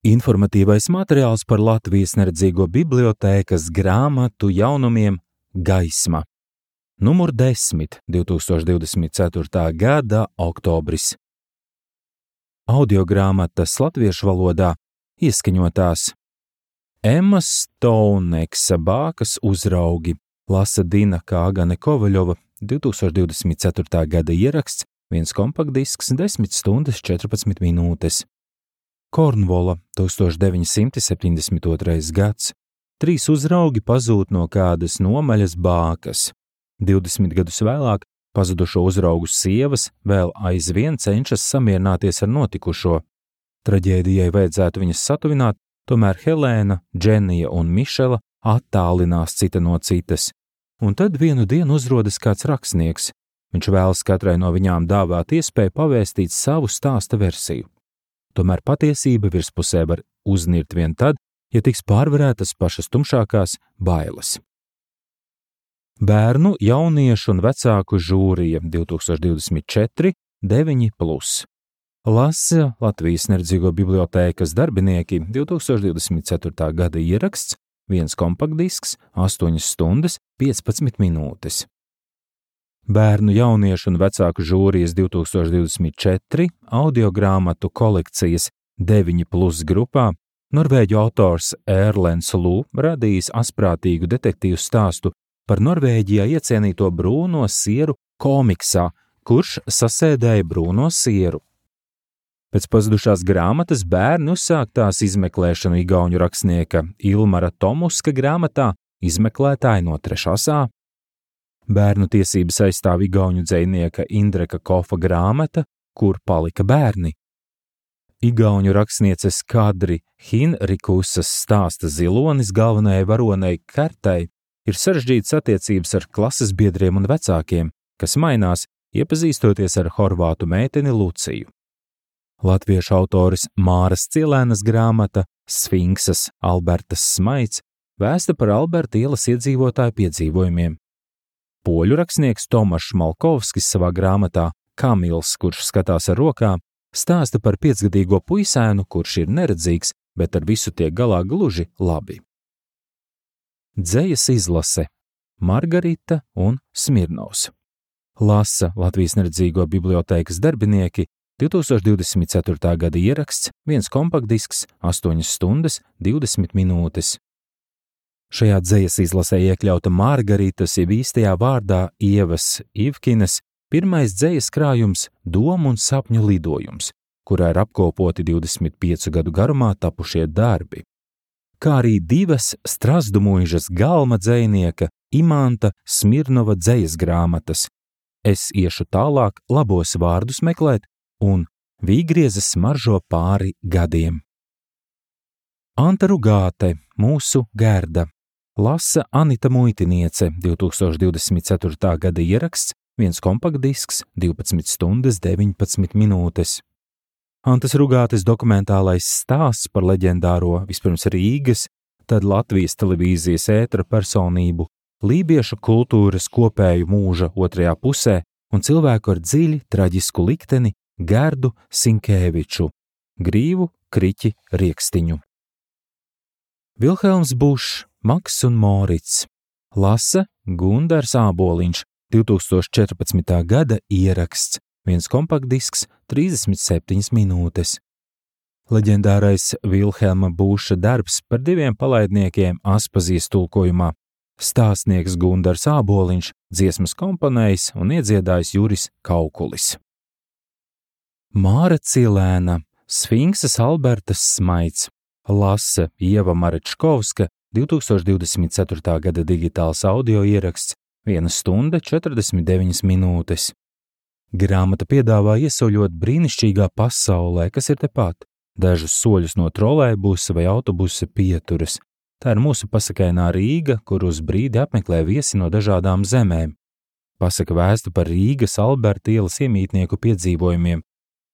Informatīvais materiāls par Latvijas neredzīgo bibliotēkas grāmatu jaunumiem Gaisma. Numur 10, 2024. gada oktobris. Audiogrāmatas latviešu valodā ieskaņotās Emmas Stouneksa Bākas uzraugi, lasa Dina Kāgane Kovaļova, 2024. gada ieraksts, 1 kompaktdisks, 10 stundas 14 minūtes. Kornvola, 1972. gads. 3 uzraugi pazūd no kādas nomaļas bākas. 20 gadus vēlāk pazudušo uzraugu sievas vēl aizvien cenšas samierināties ar notikušo. Traģēdijai vajadzētu viņas satuvināt, tomēr Helēna, Dženija un Mišela attālinās cita no citas. Un tad vienu dienu uzrodas kāds rakstnieks. Viņš vēlas katrai no viņām dāvāt iespēju pavēstīt savu stāsta versiju. Tomēr patiesība virspusē var uznirt vien tad, ja tiks pārvarētas pašas tumšākās bailes. Bērnu, jauniešu un vecāku žūrija 2024 9+. Lasa Latvijas neredzīgo bibliotēkas darbinieki 2024. gada ieraksts, 1 kompaktdisks, 8 stundas 15 minūtes. Bērnu, jauniešu un vecāku žūrijas 2024 audiogrāmatu kolekcijas 9+ grupā norvēģu autors Erlends Lū radījis asprātīgu detektīvu stāstu par Norvēģijā iecienīto brūno sieru komiksā, kurš sasēdēja brūno sieru. Pēc pazudušās grāmatas bērni uzsāk tās izmeklēšanu igauņu rakstnieka Ilmara Tomuska grāmatā Izmeklētāji no 3. A. Bērnu tiesības aizstāv igauņu dzejnieka Indreka Kofa grāmata Kur palika bērni. Igauņu rakstnieces Kadri Hinrikusas stāsta zilonis galvenajai varonei Kertai ir sarežģītas attiecības ar klases biedriem un vecākiem, kas mainās, iepazīstoties ar horvātu meiteni Luciju. Latviešu autoris Māras Cielēnas grāmata Sfinksas Albertas Smaids vēsta par Alberta ielas iedzīvotāju piedzīvojumiem. Poļu rakstnieks Tomašs Malkovskis savā grāmatā Kamils, kurš skatās ar rokām, stāsta par 5-gadīgo puisēnu, kurš ir neredzīgs, bet ar visu tiek galā gluži labi. Dzejas izlase Margarita un Smirnovs. Lasa Latvijas neredzīgo bibliotēkas darbinieki 2024. gada ieraksts, 1 kompaktdisks, 8 stundas 20 minūtes. Šajā dzejas izlasē iekļauta Margaritas jeb īstajā vārdā Ievas Ivkinas pirmais dzejas krājums Domu un sapņu lidojums, kurā ir apkopoti 25 gadu garumā tapušie darbi, kā arī 2 Strazdu mūžas galma dzejnieka Imanta Smirnova dzejas grāmatas Es iešu tālāk labos vārdus meklēt un Vīgriezes smaržo pāri gadiem. Anta Rugāte, mūsu Gerda. Lasa Anita Muitiniece, 2024. gada ieraksts, 1 kompaktdisks, 12 stundas 19 minūtes. Antas Rugātes dokumentālais stāsts par leģendāro vispirms Rīgas, tad Latvijas televīzijas ētera personību, lībiešu kultūras kopēju mūža otrajā pusē un cilvēku ar dziļi traģisku likteni Gerdu Sinkēviču, Grīvu Kriķi Riekstiņu. Vilhelms Bušs, Maks un Morits. Lasa Gundars Āboliņš, 2014. gada ieraksts, 1 kompaktdisks, 37 minūtes. Leģendārais Vilhelma Buša darbs par 2 palaidniekiem Aspazijas tulkojumā. Stāstnieks Gundars Āboliņš, dziesmas komponējs un iedziedājs Juris Kaukulis. Māra Cielēna, Sfinksas Albertas Smaids. Lasa Ieva Marečkovska, 2024. gada digitāls audio ieraksts, 1 stunda 49 minūtes. Grāmata piedāvā iesauļot brīnišķīgā pasaulē, kas ir tepat, dažus soļus no trolejbusa vai autobusa pieturas. Tā ir mūsu pasakainā Rīga, kur uz brīdi apmeklē viesi no dažādām zemēm. Pasaka vēsta par Rīgas Alberta ielas iemītnieku piedzīvojumiem,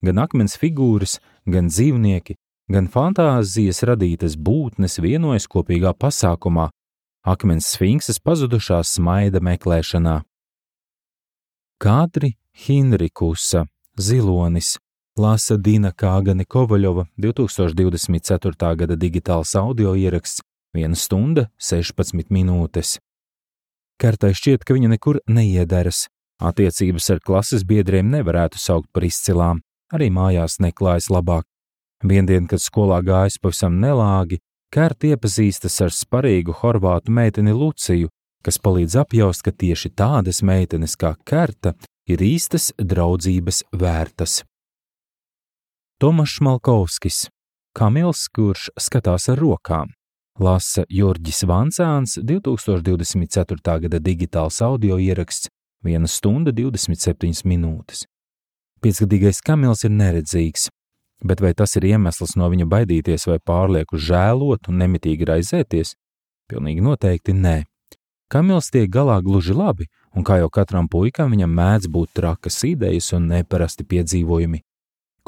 gan akmens figūras, gan dzīvnieki, gan fantāzijas radītas būtnes vienojas kopīgā pasākumā, akmens sfinksas pazudušās smaida meklēšanā. Kadri Hinrikusa, zilonis, Lasa Dina Kāgane Kovaļova 2024. gada digitāls audio ieraksts 1 stunda 16 minūtes. Kartai šķiet, ka viņa nekur neiederas. Attiecības ar klases biedriem nevarētu saukt par izcilām, arī mājās neklājas labāk. Viendien, kad skolā gājas pavisam nelāgi, Karta iepazīstas ar sparīgu horvātu meiteni Luciju, kas palīdz apjaust, ka tieši tādas meitenes kā Karta ir īstas draudzības vērtas. Tomašs Malkovskis, Kamils, kurš skatās ar rokām. Lasa Jurģis Vancāns 2024. gada digitāls audio ieraksts 1 stunda 27 minūtes. 5-gadīgais Kamils ir neredzīgs, bet vai tas ir iemesls no viņa baidīties vai pārlieku žēlot un nemitīgi raizēties? Pilnīgi noteikti nē. Kamils tiek galā gluži labi, un kā jau katram puikam viņam mēdz būt trakas idejas un neparasti piedzīvojumi.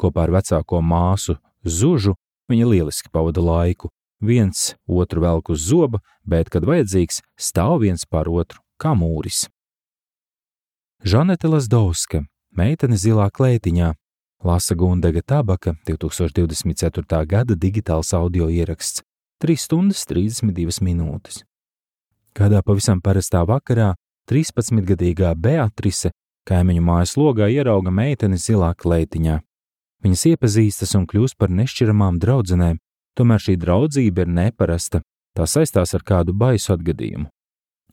Kopā ar vecāko māsu Zužu viņa lieliski pavada laiku. Viens otru velk uz zoba, bet, kad vajadzīgs, stāv viens pār otru, kā mūris. Žanete Lazdovska, meitene zilā klētiņā. Lasa Gundega Tabaka 2024. gada digitāls audio ieraksts 3 stundas 32 minūtes. Kādā pavisam parastā vakarā 13-gadīgā Beatrise kaimiņu mājas logā ierauga meiteni zilā klētiņā. Viņas iepazīstas un kļūst par nešķiramām draudzenēm, tomēr šī draudzība ir neparasta, tā saistās ar kādu baisu atgadījumu.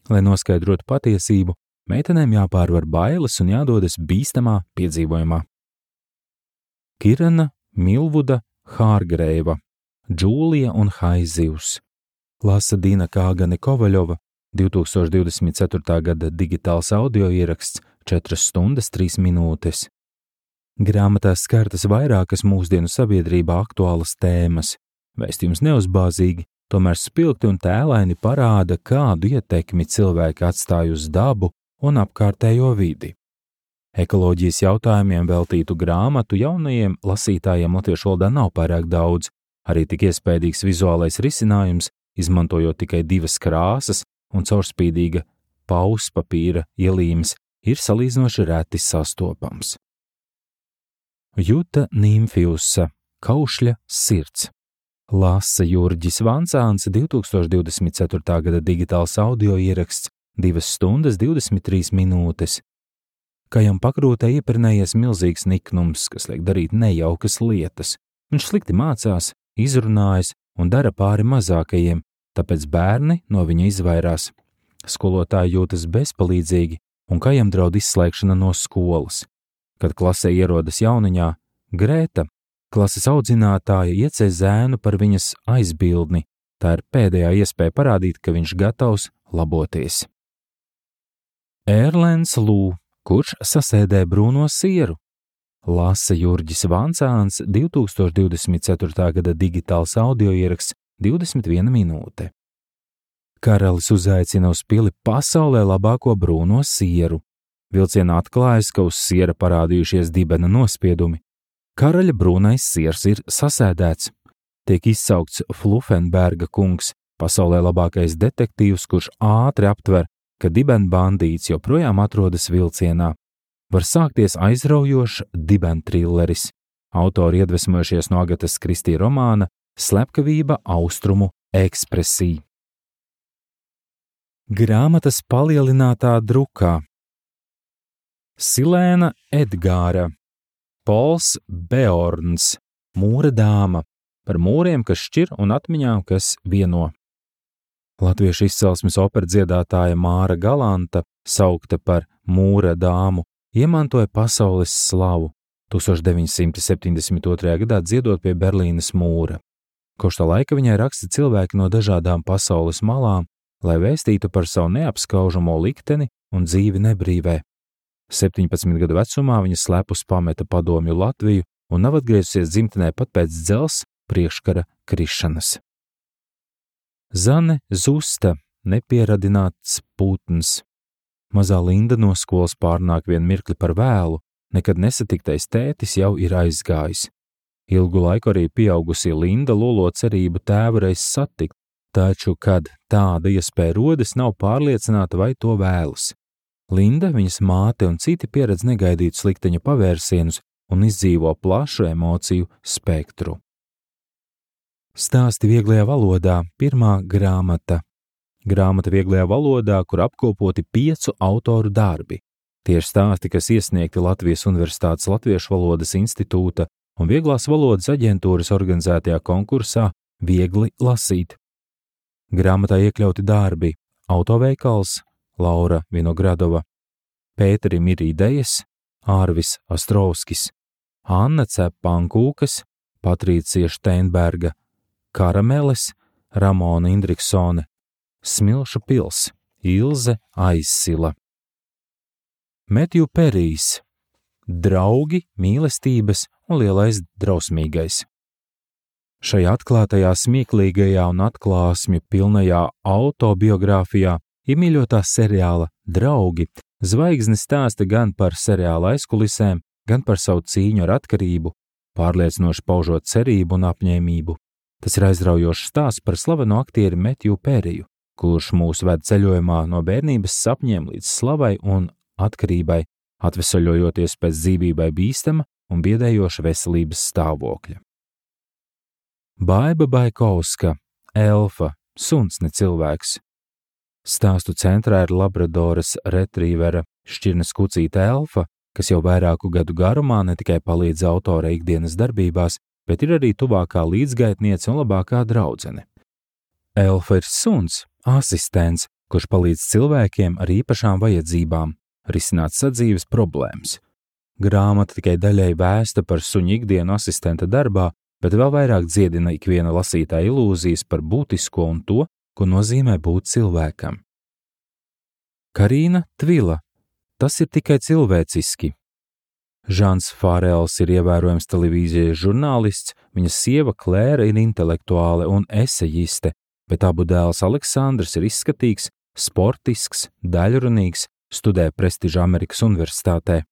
Lai noskaidrotu patiesību, meitenēm jāpārvar bailes un jādodas bīstamā piedzīvojumā. Kirana Milvuda Hārgreiva, Džūlija un Haizivs. Lasa Dina Kāgane Kovaļova 2024. gada digitāls audio ieraksts 4 stundas 3 minūtes. Grāmatās skartas vairākas mūsdienu sabiedrībā aktuālas tēmas. Vēstījums neuzbāzīgi, tomēr spilgti un tēlaini parāda, kādu ietekmi cilvēki atstāj uz dabu un apkārtējo vidi. Ekoloģijas jautājumiem veltītu grāmatu jaunajiem lasītājiem latviešu valodā nav pārāk daudz, arī tik iespējīgs vizuālais risinājums, izmantojot tikai 2 krāsas un caurspīdīga pauspapīra ielīmes, ir salīdzinoši reti sastopams. Juta Nīmfiusa, Kaušļa sirds. Lasa Jurģis Vancāns 2024. gada digitāls audio ieraksts 2 stundas 23 minūtes. Kajam pakrūtē iepirnējies milzīgs niknums, kas liek darīt nejaukas lietas. Viņš slikti mācās, izrunājas un dara pāri mazākajiem, tāpēc bērni no viņa izvairās. Skolotāji jūtas bezpalīdzīgi un Kajam draud izslēgšana no skolas. Kad klasē ierodas jauniņā, Grēta, klases audzinātāja, iecē zēnu par viņas aizbildni. Tā ir pēdējā iespēja parādīt, ka viņš gatavs laboties. Erlēns Lū, kurš sasēdē brūno sieru. Lasa Jurģis Vancāns 2024. gada digitāls audio ieraksts 21 minūte. Karalis uzaicina uz pili pasaulē labāko brūno sieru. Vilcienā atklājas, ka uz siera parādījušies dibena nospiedumi. Karaļa brūnais siers ir sasēdēts. Tiek izsaukts Flufenberga kungs, pasaulē labākais detektīvs, kurš ātri aptver, ka dibena bandīts joprojām atrodas vilcienā. Var sākties aizraujošs dibena trilleris. Autori iedvesmojušies no Agatas Kristī romāna Slepkavība Austrumu ekspresī. Grāmatas palielinātā drukā. Silēna Edgāra, Pols Beorns, Mūra dāma, par mūriem, kas šķir un atmiņām, kas vieno. Latviešu izcelsmes opera dziedātāja Māra Galanta, saukta par Mūra dāmu, iemantoja pasaules slavu 1972. gadā dziedot pie Berlīnes mūra. Kopš tā laika viņai raksta cilvēki no dažādām pasaules malām, lai vēstītu par savu neapskaužamo likteni un dzīvi nebrīvē. 17 gadu vecumā viņa slepus pameta padomju Latviju un nav atgriezusies dzimtenē pat pēc dzelzs priekškara krišanas. Zane Zusta, nepieradināts putns. Mazā Linda no skolas pārnāk vien mirkli par vēlu, nekad nesatiktais tētis jau ir aizgājis. Ilgu laiku arī pieaugusī Linda lolo cerību tēvu reiz satikt, taču, kad tāda iespēja rodas, nav pārliecināta, vai to vēlas. Linda, viņas māte un citi pieredz negaidītus likteņa pavērsienus, un izdzīvo plašu emociju spektru. Stāsti vieglajā valodā – pirmā grāmata. Grāmata vieglajā valodā, kur apkopoti 5 autoru darbi. Tie ir stāsti, kas iesniegti Latvijas Universitātes Latviešu valodas institūta un Vieglās valodas aģentūras organizētajā konkursā Viegli lasīt. Grāmatā iekļauti darbi Autoveikals, Laura Vinogradova, Pēterim ir idejas, Ārvis Astrovskis, Anna Cep-Pankūkas, Patricija Steinberga, Karameles, Ramona Indriksone, Smilšu pils, Ilze Aizsila. Metju Perijs, Draugi, mīlestības un lielais drausmīgais. Šajā atklātajā, smieklīgajā un atklāsmju pilnajā autobiogrāfijā iemīļotā seriāla Draugi zvaigznes stāsta gan par seriāla aizkulisēm, gan par savu cīņu ar atkarību, pārliecinoši paužot cerību un apņēmību. Tas ir aizraujošs stāsts par slaveno aktieri Metju Periju, kurš mūs ved ceļojumā no bērnības sapņiem līdz slavai un atkarībai, atvesaļojoties pēc dzīvībai bīstama un biedējoša veselības stāvokļa. Baiba Baikovska, Elfa, suns ne cilvēks. Stāstu centrā ir Labradoras retrīvera šķirnes kucīte Elfa, kas jau vairāku gadu garumā ne tikai palīdz autora ikdienas darbībās, bet ir arī tuvākā līdzgaitniece un labākā draudzene. Elfa ir suns, asistents, kurš palīdz cilvēkiem ar īpašām vajadzībām risināt sadzīves problēmas. Grāmata tikai daļai vēsta par suņu ikdienu asistenta darbā, bet vēl vairāk dziedina ikviena lasītāja ilūzijas par būtisko un to, ko nozīmē būt cilvēkam. Karīna Tvila. Tas ir tikai cilvēciski. Žans Fārels ir ievērojams televīzijas žurnālists, viņa sieva Klēra ir intelektuāle un esejiste, bet abu dēls Aleksandrs ir izskatīgs, sportisks, daļrunīgs, studē prestiža Amerikas universitātē.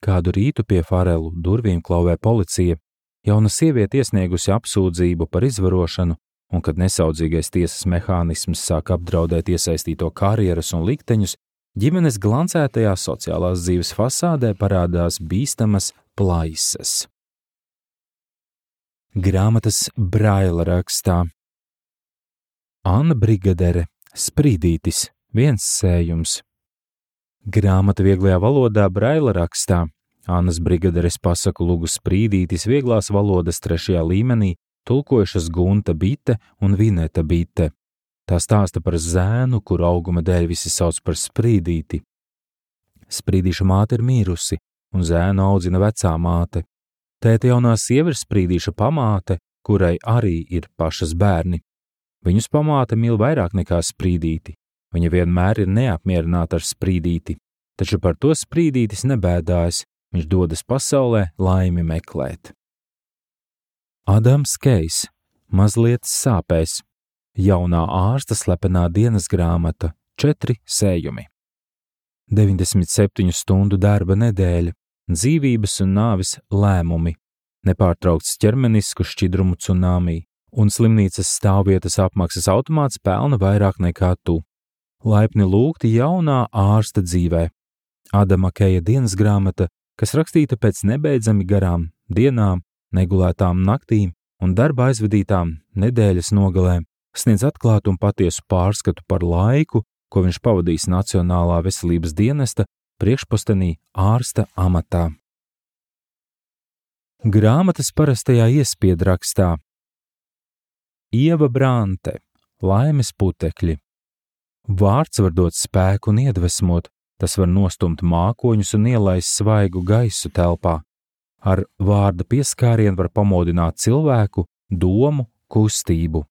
Kādu rītu pie Fārelu durvīm klauvē policija. Jauna sieviete iesniegusi apsūdzību par izvarošanu, un kad nesaudzīgais tiesas mehānisms sāk apdraudēt iesaistīto karjeras un likteņus, ģimenes glancētajā sociālās dzīves fasādē parādās bīstamas plaisas. Grāmatas Braila rakstā. Anna Brigadere, Sprīdītis, viens sējums. Grāmata vieglajā valodā Braila rakstā. Annas Brigaderes pasaku lugu Sprīdītis vieglās valodas 3. līmenī tulkojušas Gunta Bite un Vineta Bite. Tā stāsta par zēnu, kuru auguma dēļ visi sauc par Sprīdīti. Sprīdīša māte ir mīrusi, un zēnu audzina vecā māte. Tēta jaunā sieva ir Sprīdīša pamāte, kurai arī ir pašas bērni. Viņus pamāte mīl vairāk nekā Sprīdīti. Viņa vienmēr ir neapmierināta ar Sprīdīti, taču par to Sprīdītis nebēdājas, viņš dodas pasaulē laimi meklēt. Adams Kejs, mazliet sāpēs. Jaunā ārsta slepenā dienas grāmata, 4 sējumi. 97 stundu darba nedēļa, dzīvības un nāves lēmumi, nepārtraukts ķermenisku šķidrumu cunāmī, un slimnīcas stāvvietas apmaksas automāts pelna vairāk nekā tu. Laipni lūgti jaunā ārsta dzīvē. Adama Keja dienas grāmata, kas rakstīta pēc nebeidzami garām dienām, negulētām naktīm un darba aizvadītām nedēļas nogalēm, sniedz atklātu un patiesu pārskatu par laiku, ko viņš pavadīs Nacionālā veselības dienesta priekšpostenī ārsta amatā. Grāmatas parastajā iespiedrakstā. Ieva Brante, Laimes putekļi. Vārds var dot spēku un iedvesmot, tas var nostumt mākoņus un ielaist svaigu gaisu telpā. Ar vārda pieskārienu var pamodināt cilvēku, domu, kustību.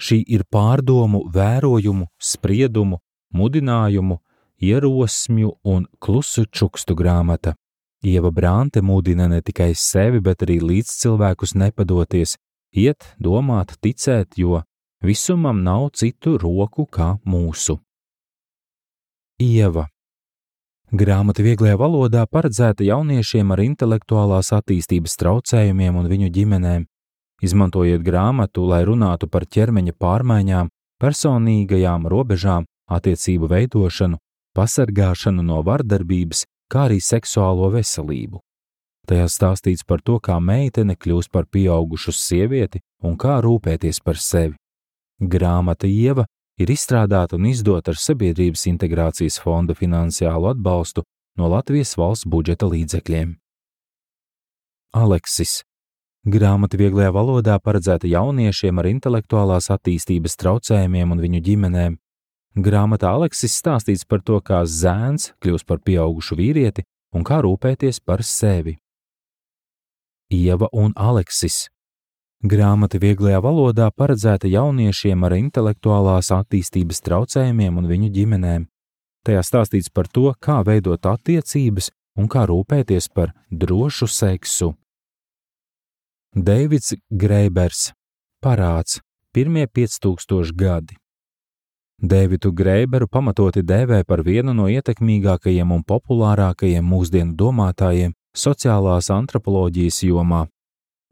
Šī ir pārdomu, vērojumu, spriedumu, mudinājumu, ierosmju un klusu čukstu grāmata. Ieva Brante mudina ne tikai sevi, bet arī līdzcilvēkus nepadoties, iet, domāt, ticēt, jo visumam nav citu roku kā mūsu. Ieva. Grāmata vieglajā valodā paredzēta jauniešiem ar intelektuālās attīstības traucējumiem un viņu ģimenēm. Izmantojiet grāmatu, lai runātu par ķermeņa pārmaiņām, personīgajām robežām, attiecību veidošanu, pasargāšanu no vardarbības, kā arī seksuālo veselību. Tajā stāstīts par to, kā meitene kļūst par pieaugušu sievieti un kā rūpēties par sevi. Grāmata Ieva ir izstrādāta un izdota ar Sabiedrības integrācijas fonda finansiālu atbalstu no Latvijas valsts budžeta līdzekļiem. Aleksis. Grāmata vieglajā valodā paredzēta jauniešiem ar intelektuālās attīstības traucējumiem un viņu ģimenēm. Grāmatā Aleksis stāstīts par to, kā zēns kļūst par pieaugušu vīrieti un kā rūpēties par sevi. Ieva un Aleksis. Grāmata vieglajā valodā paredzēta jauniešiem ar intelektuālās attīstības traucējumiem un viņu ģimenēm. Tajā stāstīts par to, kā veidot attiecības un kā rūpēties par drošu seksu. Deivids Greibers. Parāds. Pirmie 5000 gadi. Deividu Greiberu pamatoti dēvē par vienu no ietekmīgākajiem un populārākajiem mūsdienu domātājiem sociālās antropoloģijas jomā.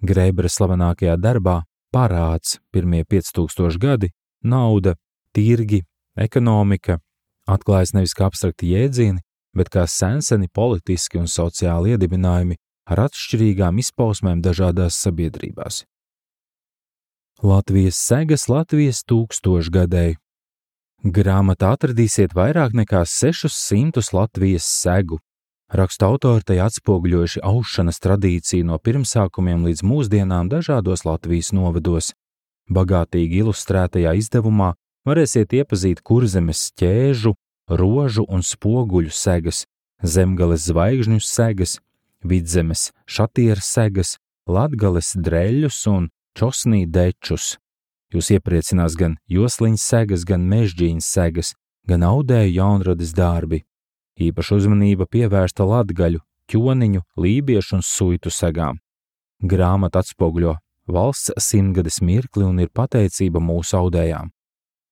Greibera slavenākajā darbā Parāds. Pirmie 5000 gadi, nauda, tirgi, ekonomika atklājas nevis kā abstrakti jēdzieni, bet kā senseni politiski un sociāli iedibinājumi ar atšķirīgām izpausmēm dažādās sabiedrībās. Latvijas segas Latvijas 1000-gadēji. Grāmatā atradīsiet vairāk nekā 600 Latvijas segu. Rakstu autori tai atspoguļojuši aušanas tradīciju no pirmsākumiem līdz mūsdienām dažādos Latvijas novados. Bagātīgi ilustrētajā izdevumā varēsiet iepazīt Kurzemes ķēžu, rožu un spoguļu segas, Zemgales zvaigžņu segas, Vidzemes šatieru segas, Latgales dreļus un čosnī dečus. Jūs iepriecinās gan josliņas segas, gan mežģīņas segas, gan audēju jaunradas darbi. Īpaša uzmanība pievērsta latgaļu, ķoniņu, lībiešu un suitu segām. Grāmata atspoguļo valsts 100-gades mirkli un ir pateicība mūsu audējām.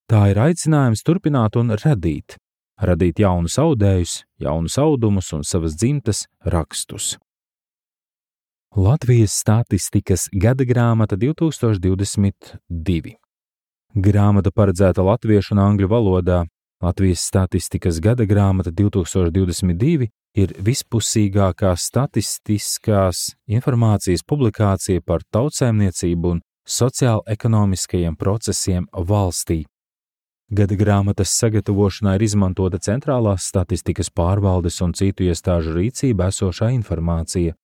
Tā ir aicinājums turpināt un radīt jaunus audējus, jaunus audumus un savas dzimtas rakstus. Latvijas statistikas gada grāmata 2022. Grāmata paredzēta latviešu un angļu valodā. Latvijas statistikas gada grāmata 2022 ir vispusīgākā statistiskās informācijas publikācija par tautsēmniecību un sociāli-ekonomiskajiem procesiem valstī. Gada grāmatas sagatavošanā ir izmantota centrālās statistikas pārvaldes un citu iestāžu rīcībā esošā informācija.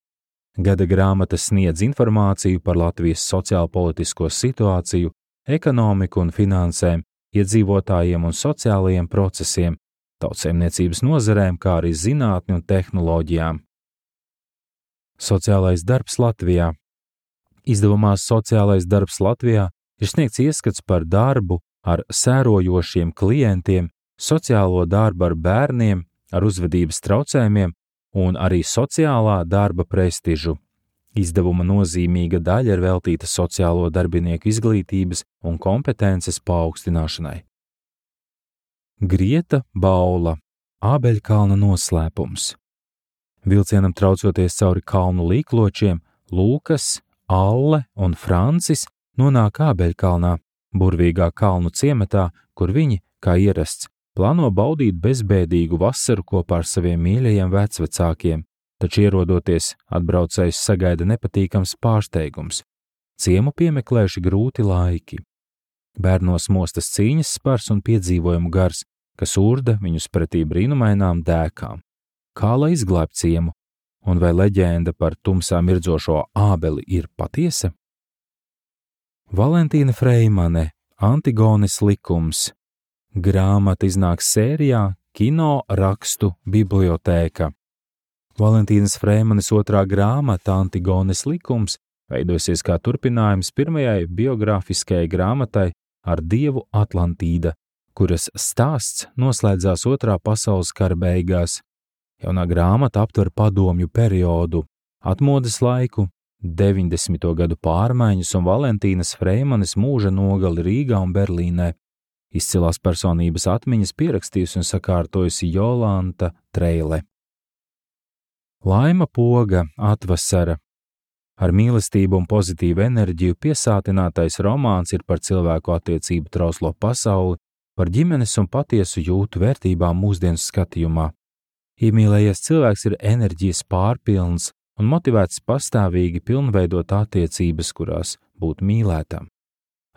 Gada grāmata sniedz informāciju par Latvijas sociālpolitisko situāciju, ekonomiku un finansēm, iedzīvotājiem un sociālajiem procesiem, tautsēmniecības nozarēm, kā arī zinātni un tehnoloģijām. Sociālais darbs Latvijā. Izdevumā Sociālais darbs Latvijā ir sniegts ieskats par darbu ar sērojošiem klientiem, sociālo darbu ar bērniem, ar uzvedības traucējumiem un arī sociālā darba prestižu. Izdevuma nozīmīga daļa ir veltīta sociālo darbinieku izglītības un kompetences paaugstināšanai. Grieta Baula. Ābeļkalna noslēpums. Vilcienam traucoties cauri kalnu līkločiem, Lūkas, Alle un Francis nonāk Ābeļkalnā, burvīgā kalnu ciematā, kur viņi, kā ierasts, plāno baudīt bezbēdīgu vasaru kopā ar saviem mīļajiem vecvecākiem. Taču ierodoties, atbraucējs sagaida nepatīkams pārsteigums. Ciemu piemeklējuši grūti laiki. Bērnos mostas cīņas spars un piedzīvojumu gars, kas urda viņus pretī brīnumainām dēkām. Kā lai izglābj ciemu, un vai leģenda par tumsā mirdzošo ābeli ir patiesa? Valentīna Freimane. Antigones likums. Grāmata iznāks sērijā Kino rakstu bibliotēka. Valentīnas Freimanes otrā grāmata Antigones likums veidosies kā turpinājums pirmajai biogrāfiskajai grāmatai ar dievu Atlantīda, kuras stāsts noslēdzās Otrā pasaules kara beigās. Jaunā grāmata aptver padomju periodu, atmodas laiku, 90. gadu pārmaiņas un Valentīnas Freimanes mūža nogali Rīgā un Berlīnē. Izcilās personības atmiņas pierakstījusi un sakārtojusi Jolanta Treile. Laima Poga. Atvasara. Ar mīlestību un pozitīvu enerģiju piesātinātais romāns ir par cilvēku attiecību trauslo pasauli, par ģimenes un patiesu jūtu vērtībām mūsdienu skatījumā. Iemīlējies cilvēks ir enerģijas pārpilns un motivēts pastāvīgi pilnveidot attiecības, kurās būt mīlētam.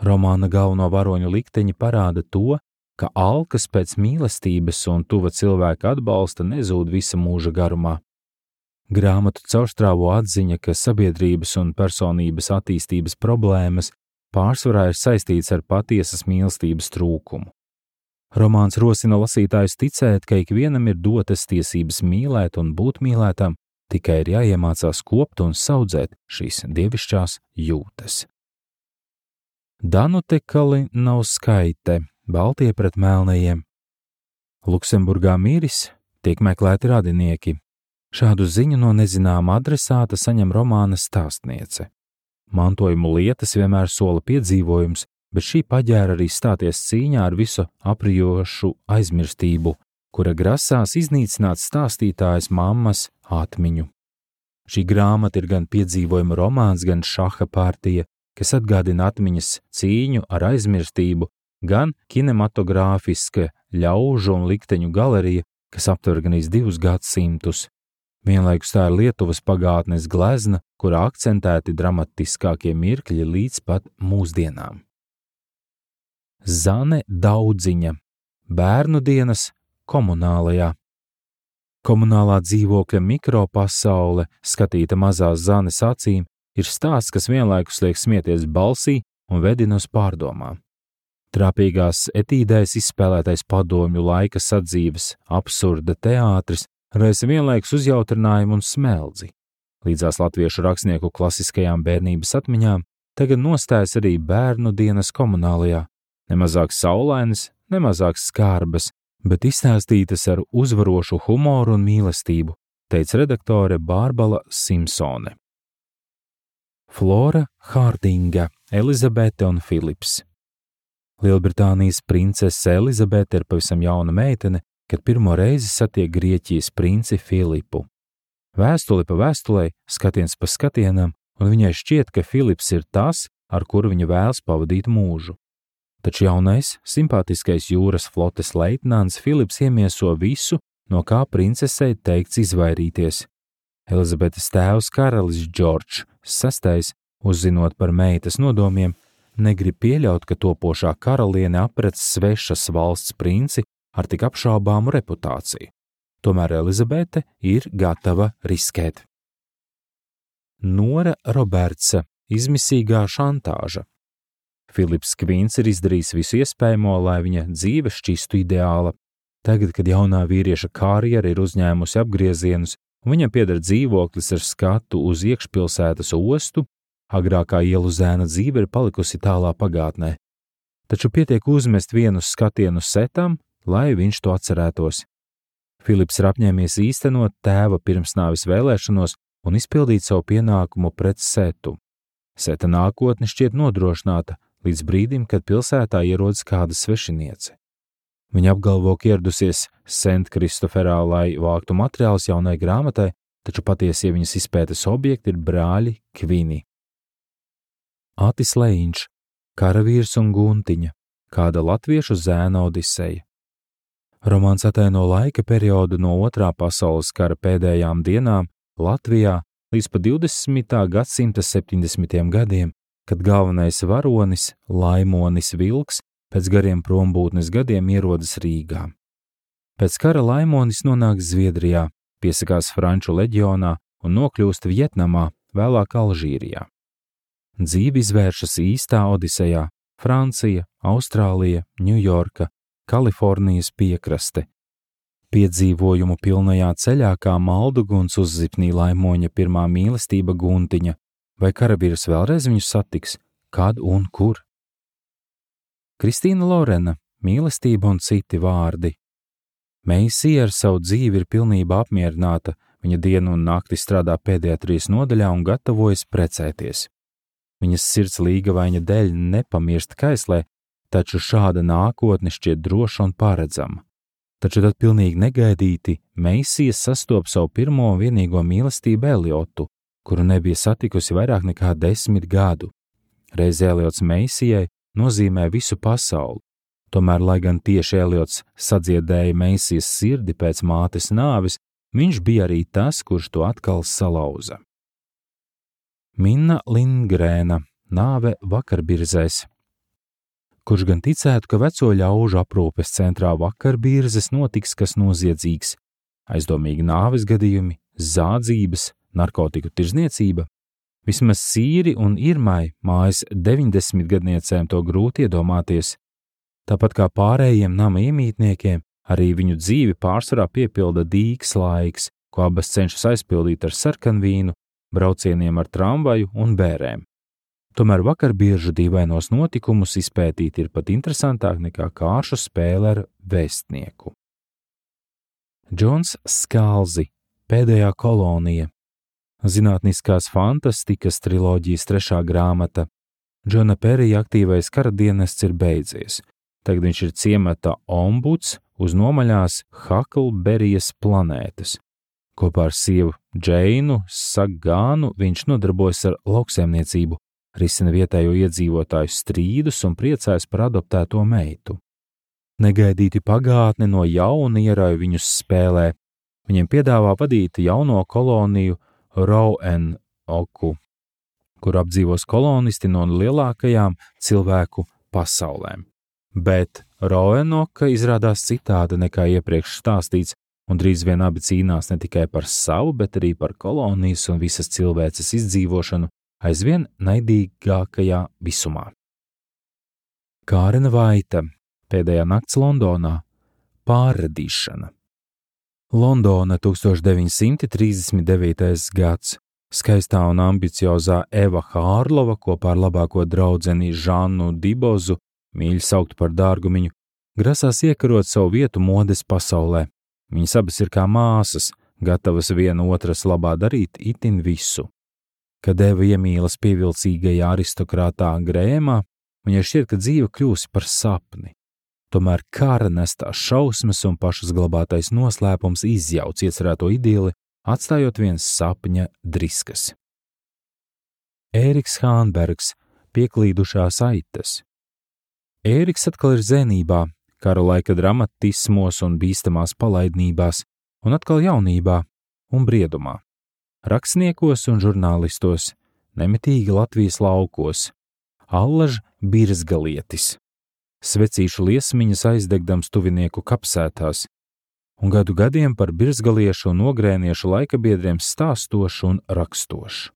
Romāna galveno varoņu likteņi parāda to, ka alkas pēc mīlestības un tuva cilvēka atbalsta nezūd visa mūža garumā. Grāmatu caurstrāvo atziņa, ka sabiedrības un personības attīstības problēmas pārsvarā ir saistīts ar patiesas mīlestības trūkumu. Romāns rosina lasītājus ticēt, ka ikvienam ir dotas tiesības mīlēt un būt mīlētam, tikai ir jāiemācās kopt un saudzēt šīs dievišķās jūtas. Danute Kalinauskaite, Baltie pret melnajiem. Luksemburgā miris, tiek meklēti radinieki. Šādu ziņu no nezināma adresāta saņem romāna stāstniece. Mantojumu lietas vienmēr sola piedzīvojums, bet šī paģēra arī stāties cīņā ar visu aprijošu aizmirstību, kura grasās iznīcināt stāstītājas mammas atmiņu. Šī grāmata ir gan piedzīvojuma romāns, gan šaha partija, kas atgādina atmiņas cīņu ar aizmirstību, gan kinematogrāfiska ļaužu un likteņu galerija, kas aptver gan 2 gadsimtus. Vienlaikus tā ir Lietuvas pagātnes glezna, kurā akcentēti dramatiskākie mirkļi līdz pat mūsdienām. Zane Daudziņa, Bērnu dienas komunālajā. Komunālā dzīvokļa mikropasaule, skatīta mazās Zanes acīm, ir stāsts, kas vienlaikus liek smieties balsī un vedina uz pārdomām. Trāpīgās etīdēs izspēlētais padomju laika sadzīves absurda teātris raisa vienlaikus uzjautrinājumu un smeldzi. Līdzās latviešu rakstnieku klasiskajām bērnības atmiņām tagad nostājas arī Bērnu dienas komunālajā, nemazāk saulainas, nemazāk skarbas, bet izstāstītas ar uzvarošu humoru un mīlestību, teica redaktore Bārbara Simpsone. Flora Hārdinga, Elizabete un Filips. Lielbritānijas princese Elizabete ir pavisam jauna meitene, kad pirmo reizi satiek Grieķijas princi Filipu. Vēstuli pa vēstulei, skatiens pa skatienam, un viņai šķiet, ka Filips ir tas, ar kuru viņa vēlas pavadīt mūžu. Taču jaunais, simpātiskais jūras flotes leitnants Filips iemieso visu, no kā princesei teikts izvairīties. Elizabetes tēvs karalis Džordžs VI, uzzinot par meitas nodomiem, negrib pieļaut, ka topošā karaliene aprec svešas valsts princi ar tik apšaubāmu reputāciju. Tomēr Elizabete ir gatava riskēt. Nora Robertsa, izmisīgā šantāža. Filips Kvīns ir izdarījis visu iespējamo, lai viņa dzīve šķistu ideāla. Tagad, kad jaunā vīrieša karjera ir uzņēmusi apgriezienus, un viņam pieder dzīvoklis ar skatu uz iekšpilsētas ostu, agrākā ielu zēna dzīve ir palikusi tālā pagātnē. Taču pietiek uzmest vienu skatienu setam, lai viņš to atcerētos. Filips ir apņēmies īstenot tēva pirmsnāves vēlēšanos un izpildīt savu pienākumu pret setu. Seta nākotne šķiet nodrošināta līdz brīdim, kad pilsētā ierodas kāda svešiniece. Viņa apgalvo, ka ieradusies Sent-Kristoferā, lai vāktu materiālus jaunai grāmatai, taču patiesie viņas izpētes objekti ir brāļi Kvini. Atis Lejiņš, Karavīrs un Guntiņa, kāda latviešu zēna odiseja. Romāns ataino laika periodu no 2. pasaules kara pēdējām dienām Latvijā līdz pa 20. gadsimta 70. gadiem, kad galvenais varonis, Laimonis Vilks, pēc gariem prombūtnes gadiem ierodas Rīgā. Pēc kara Laimonis nonāk Zviedrijā, piesakās Franču leģionā un nokļūst Vjetnamā, vēlāk Alžīrijā. Dzīve izvēršas īstā odisejā – Francija, Austrālija, Ņujorka, Kalifornijas piekraste. Piedzīvojumu pilnajā ceļā kā malduguns uzzipnī Laimoņa pirmā mīlestība Guntiņa, vai karavīrs vēlreiz viņu satiks, kad un kur? Kristīna Lorena, Mīlestība un citi vārdi. Meisija ar savu dzīvi ir pilnībā apmierināta, viņa dienu un nakti strādā pēdējā 3 nodaļā un gatavojas precēties. Viņas sirds līgavaina dēļ nepamirst kaislē, taču šāda nākotne šķiet droša un paredzama. Taču tad pilnīgi negaidīti Meisija sastopa savu pirmo un vienīgo mīlestību Eliotu, kuru nebija satikusi vairāk nekā 10 gadu. Reiz Eliots Meisijai nozīmē visu pasauli. Tomēr, lai gan tieši Eliots sadziedēja Meisijas sirdi pēc mātes nāves, viņš bija arī tas, kurš to atkal salauza. Minna Lindgrēna nāve Vakarbirzēs. Kurš gan ticētu, ka veco ļaužu aprūpes centrā Vakarbirzes notiks kas noziedzīgs, aizdomīgi nāves gadījumi, zādzības, narkotiku tirzniecība? Vismaz Sīri un Irmai, mājas 90-gadniecēm, to grūti iedomāties. Tāpat kā pārējiem nama iemītniekiem, arī viņu dzīvi pārsvarā piepilda dīks laiks, ko abas cenšas aizpildīt ar sarkanvīnu, braucieniem ar tramvaju un bērēm. Tomēr Vakarbiržu dīvainos notikumus izpētīt ir pat interesantāk nekā kāršu spēle ar vēstnieku. Džons Skalzi, Pēdējā kolonija. Zinātniskās fantastikas triloģijas 3. grāmata. Džona Perija aktīvais karadienests ir beidzies. Tagad viņš ir ciemata ombuds uz nomaļās Haklberijas planētas. Kopā ar sievu Džeinu Sagānu viņš nodarbojas ar lauksaimniecību, risina vietējo iedzīvotāju strīdus un priecājas par adoptēto meitu. Negaidīti pagātne no jauna ierauj viņus spēlē. Viņiem piedāvā vadīt jauno koloniju Roanoku, kur apdzīvos kolonisti no lielākajām cilvēku pasaulēm. Bet Roanoka izrādās citāda nekā iepriekš stāstīts, un drīz vien abi cīnās ne tikai par savu, bet arī par kolonijas un visas cilvēces izdzīvošanu aizvien naidīgākajā visumā. Kārena Vaita, Pēdējā nakts Londonā, pārradīšana. Londona 1939. gads. Skaistā un ambiciozā Eva Hārlova kopā ar labāko draudzeni Žannu Dibozu, mīļi saukt par dārgumiņu, grasās iekarot savu vietu modes pasaulē. Viņas abas ir kā māsas, gatavas viena otras labā darīt itin visu. Kad Eva iemīlas pievilcīgajā aristokrātā Grēmā, viņai šķiet, ka dzīve kļūsi par sapni. Tomēr kara nestās šausmas un pašas glabātais noslēpums izjauc iecerēto idili, atstājot viens sapņa driskas. Ēriks Hānbergs, Pieklīdušās aitas. Ēriks atkal ir zenībā, kara laika dramatismos un bīstamās palaidnībās, un atkal jaunībā un briedumā. Rakstniekos un žurnālistos, nemitīgi Latvijas laukos, allaž birzgalietis. Svecīšu liesmiņas aizdegdams tuvinieku kapsētās, un gadu gadiem par birzgaliešu un ogrēniešu laikabiedriem stāstošu un rakstošu.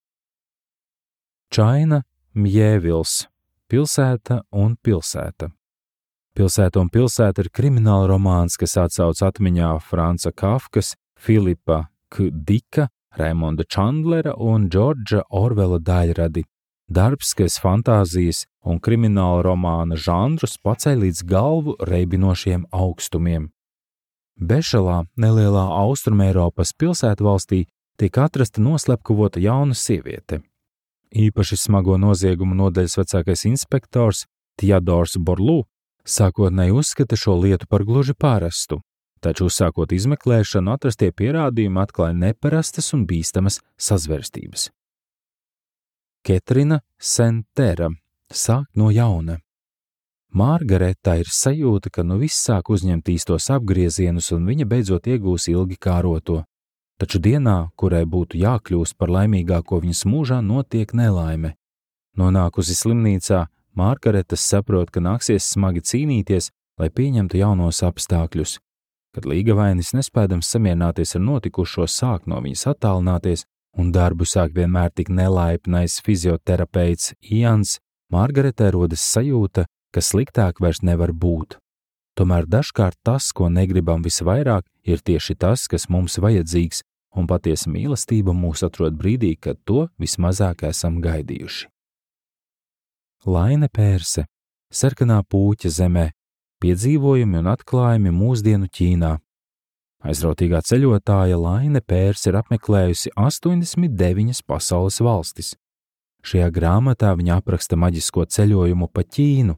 Čaina Mjēvils, Pilsēta un pilsēta. Pilsēta un pilsēta ir krimināla romāns, kas atsauc atmiņā Franca Kafkas, Filipa K. Dika, Raimonda Čandlera un Džordža Orvela daļradi. Darbs, kas fantāzijas un krimināla romāna žanrus paceļ līdz galvu reibinošiem augstumiem. Bešalā, nelielā Austrumeiropas pilsētvalstī, tiek atrasta noslepkavota jauna sieviete. Īpaši smago noziegumu nodaļas vecākais inspektors Theodors Borlū sākotnēji uzskata šo lietu par gluži parastu, taču uzsākot izmeklēšanu atrastie pierādījumi atklāja neparastas un bīstamas sazvērstības. Ketrina Sentera, Sākt no jauna. Margareta ir sajūta, ka nu viss sāk uzņemt īstos apgriezienus un viņa beidzot iegūs ilgi kāroto. Taču dienā, kurai būtu jākļūst par laimīgāko viņas mūžā, notiek nelaime. Nonākusi slimnīcā, Margareta saprot, ka nāksies smagi cīnīties, lai pieņemtu jaunos apstākļus. Kad līgavainis nespēdams samierināties ar notikušo, sāk no viņas attālināties, un darbu sāk vienmēr tik nelaipnais fizioterapeits Ians, Margaretai rodas sajūta, ka sliktāk vairs nevar būt. Tomēr dažkārt tas, ko negribam visvairāk, ir tieši tas, kas mums vajadzīgs, un patiesa mīlestība mūs atrod brīdī, kad to vismazāk esam gaidījuši. Laine Pērse, Sarkanā Pūķa zemē, piedzīvojumi un atklājumi mūsdienu Ķīnā. Aizrautīgā ceļotāja Laine Pērse ir apmeklējusi 89 pasaules valstis. Šajā grāmatā viņa apraksta maģisko ceļojumu pa Ķīnu.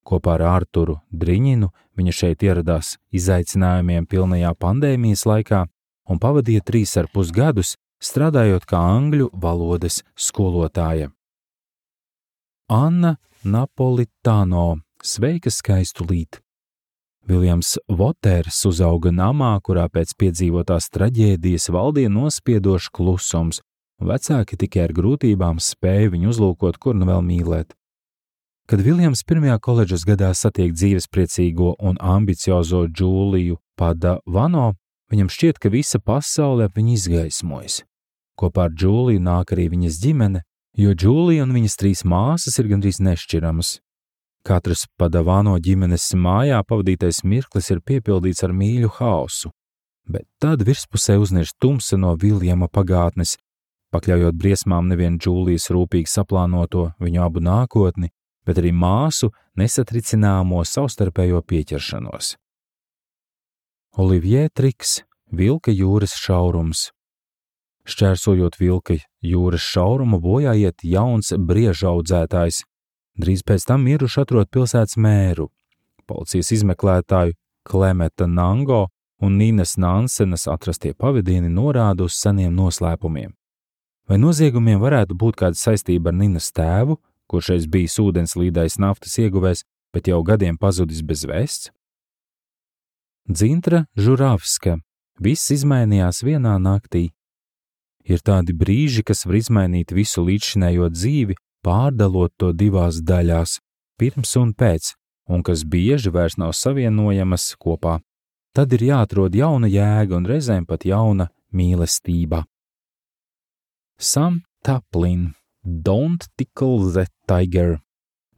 Kopā ar Ārturu Driņinu viņa šeit ieradās izaicinājumiem pilnajā pandēmijas laikā un pavadīja 3,5 gadus, strādājot kā angļu valodas skolotāja. Anna Napolitano, sveika skaistulīt. Viljams Voters uzauga namā, kurā pēc piedzīvotās traģēdijas valdīja nospiedošs klusums, un vecāki tikai ar grūtībām spēja viņu uzlūkot, kur nu vēl mīlēt. Kad Viljams pirmajā koledžas gadā satiek dzīvespriecīgo un ambiciozo Džūliju Padavano, viņam šķiet, ka visa pasaule ap viņu izgaismojas. Kopā ar Džūliju nāk arī viņas ģimene, jo Džūlija un viņas 3 māsas ir gandrīz nešķiramas. Katras Padavano ģimenes mājā pavadītais mirklis ir piepildīts ar mīļu haosu, bet tad virspusē uznirst tumsa no Viljama pagātnes, pakļaujot briesmām nevien Džūlijas rūpīgi saplānoto viņu abu nākotni, bet arī māsu nesatricināmo savstarpējo pieķeršanos. Olivier Triks, Vilka jūras šaurums. Šķērsojot Vilka jūras šaurumu, bojā iet jauns briežaudzētājs. Drīz pēc tam miruši atrod pilsētas mēru. Policijas izmeklētāju Klemeta Nango un Ninas Nansenas atrastie pavadieni norāda uz seniem noslēpumiem. Vai noziegumiem varētu būt kāda saistība ar Ninas tēvu, kurš reiz bijis ūdenslīdais naftas ieguvējs, bet jau gadiem pazudis bez vēsts? Dzintra Žuravska. Viss izmainījās vienā naktī. Ir tādi brīži, kas var izmainīt visu līdzšinējo dzīvi, pārdalot to 2 daļās, pirms un pēc, un kas bieži vairs nav savienojamas kopā. Tad ir jāatrod jauna jēga un reizēm pat jauna mīlestība. Sam Taplin. Don't Tickle the Tiger.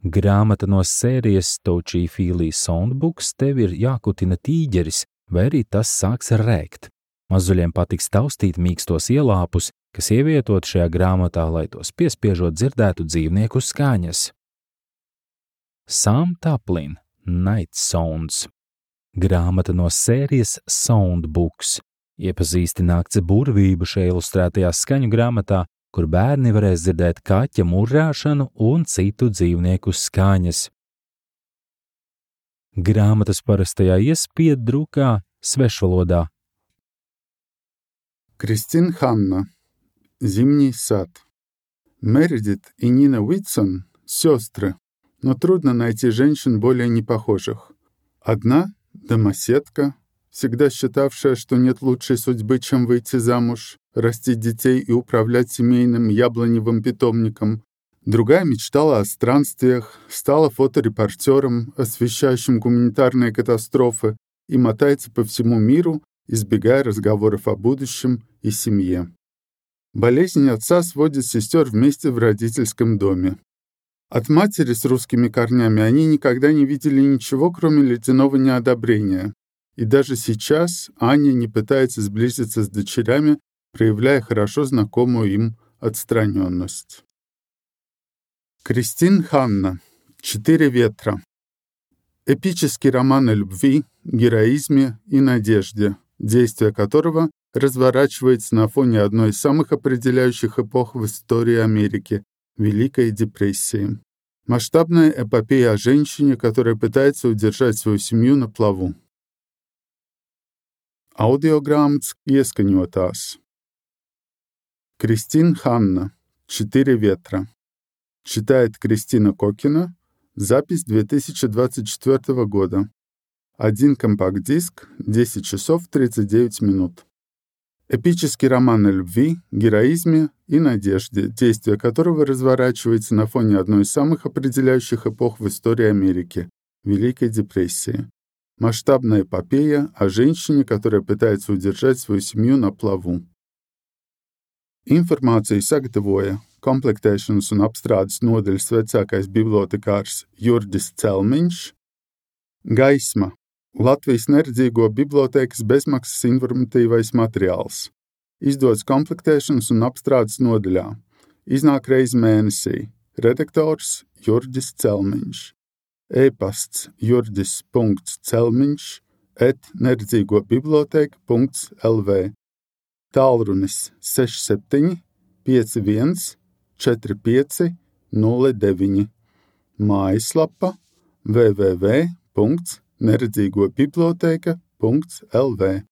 Grāmata no sērijas Touchy-Feely Soundbooks tev ir jākutina tīģeris, vai arī tas sāks rēkt. Mazuļiem patiks taustīt mīkstos ielāpus, kas ievietot šajā grāmatā, lai tos piespiežot dzirdētu dzīvnieku skaņas. Sam Taplin. Night Sounds. Grāmata no sērijas Soundbooks. Iepazīsti nakts burvību šajā ilustrētajā skaņu grāmatā, kur bērni varēs dzirdēt kaķa murrāšanu un citu dzīvnieku skaņas. Grāmatas parastajā iespiedrukā svešvalodā. Кристин Ханна. Зимний сад. Мередит и Нина Уитсон – сестры, но трудно найти женщин более непохожих. Одна – домоседка, всегда считавшая, что нет лучшей судьбы, чем выйти замуж, растить детей и управлять семейным яблоневым питомником. Другая мечтала о странствиях, стала фоторепортером, освещающим гуманитарные катастрофы, и мотается по всему миру, избегая разговоров о будущем и семье. Болезнь отца сводит сестер вместе в родительском доме. От матери с русскими корнями они никогда не видели ничего, кроме ледяного неодобрения. И даже сейчас Аня не пытается сблизиться с дочерями, проявляя хорошо знакомую им отстраненность. Кристин Ханна. 4 ветра. Эпический роман о любви, героизме и надежде, действие которого разворачивается на фоне одной из самых определяющих эпох в истории Америки – Великой депрессии. Масштабная эпопея о женщине, которая пытается удержать свою семью на плаву. Audiogrāmatas ieskaņotās. Кристин Ханна. 4 ветра. Читает Кристина Кокина. Запись 2024 года. 1 компакт-диск, 10 часов 39 минут. Эпический роман о любви, героизме и надежде, действие которого разворачивается на фоне одной из самых определяющих эпох в истории Америки – Великой депрессии. Масштабная эпопея о женщине, которая pētается удержать свою семью на плаву. Informāciju sagatavoja komplektēšanas un apstrādes nodaļas vecākais bibliotekārs Jurģis Celmiņš. Gaisma – Latvijas neredzīgo bibliotēkas bezmaksas informatīvais materiāls. Izdots komplektēšanas un apstrādes nodaļā. Iznāk reizi mēnesī. Redaktors Jurģis Celmiņš. E-pasts jurģis.celmiņš@neredzīgobiblioteka.lv. Tālrunis 67 51 45 09. Mājaslapa www.neredzīgobiblioteka.lv.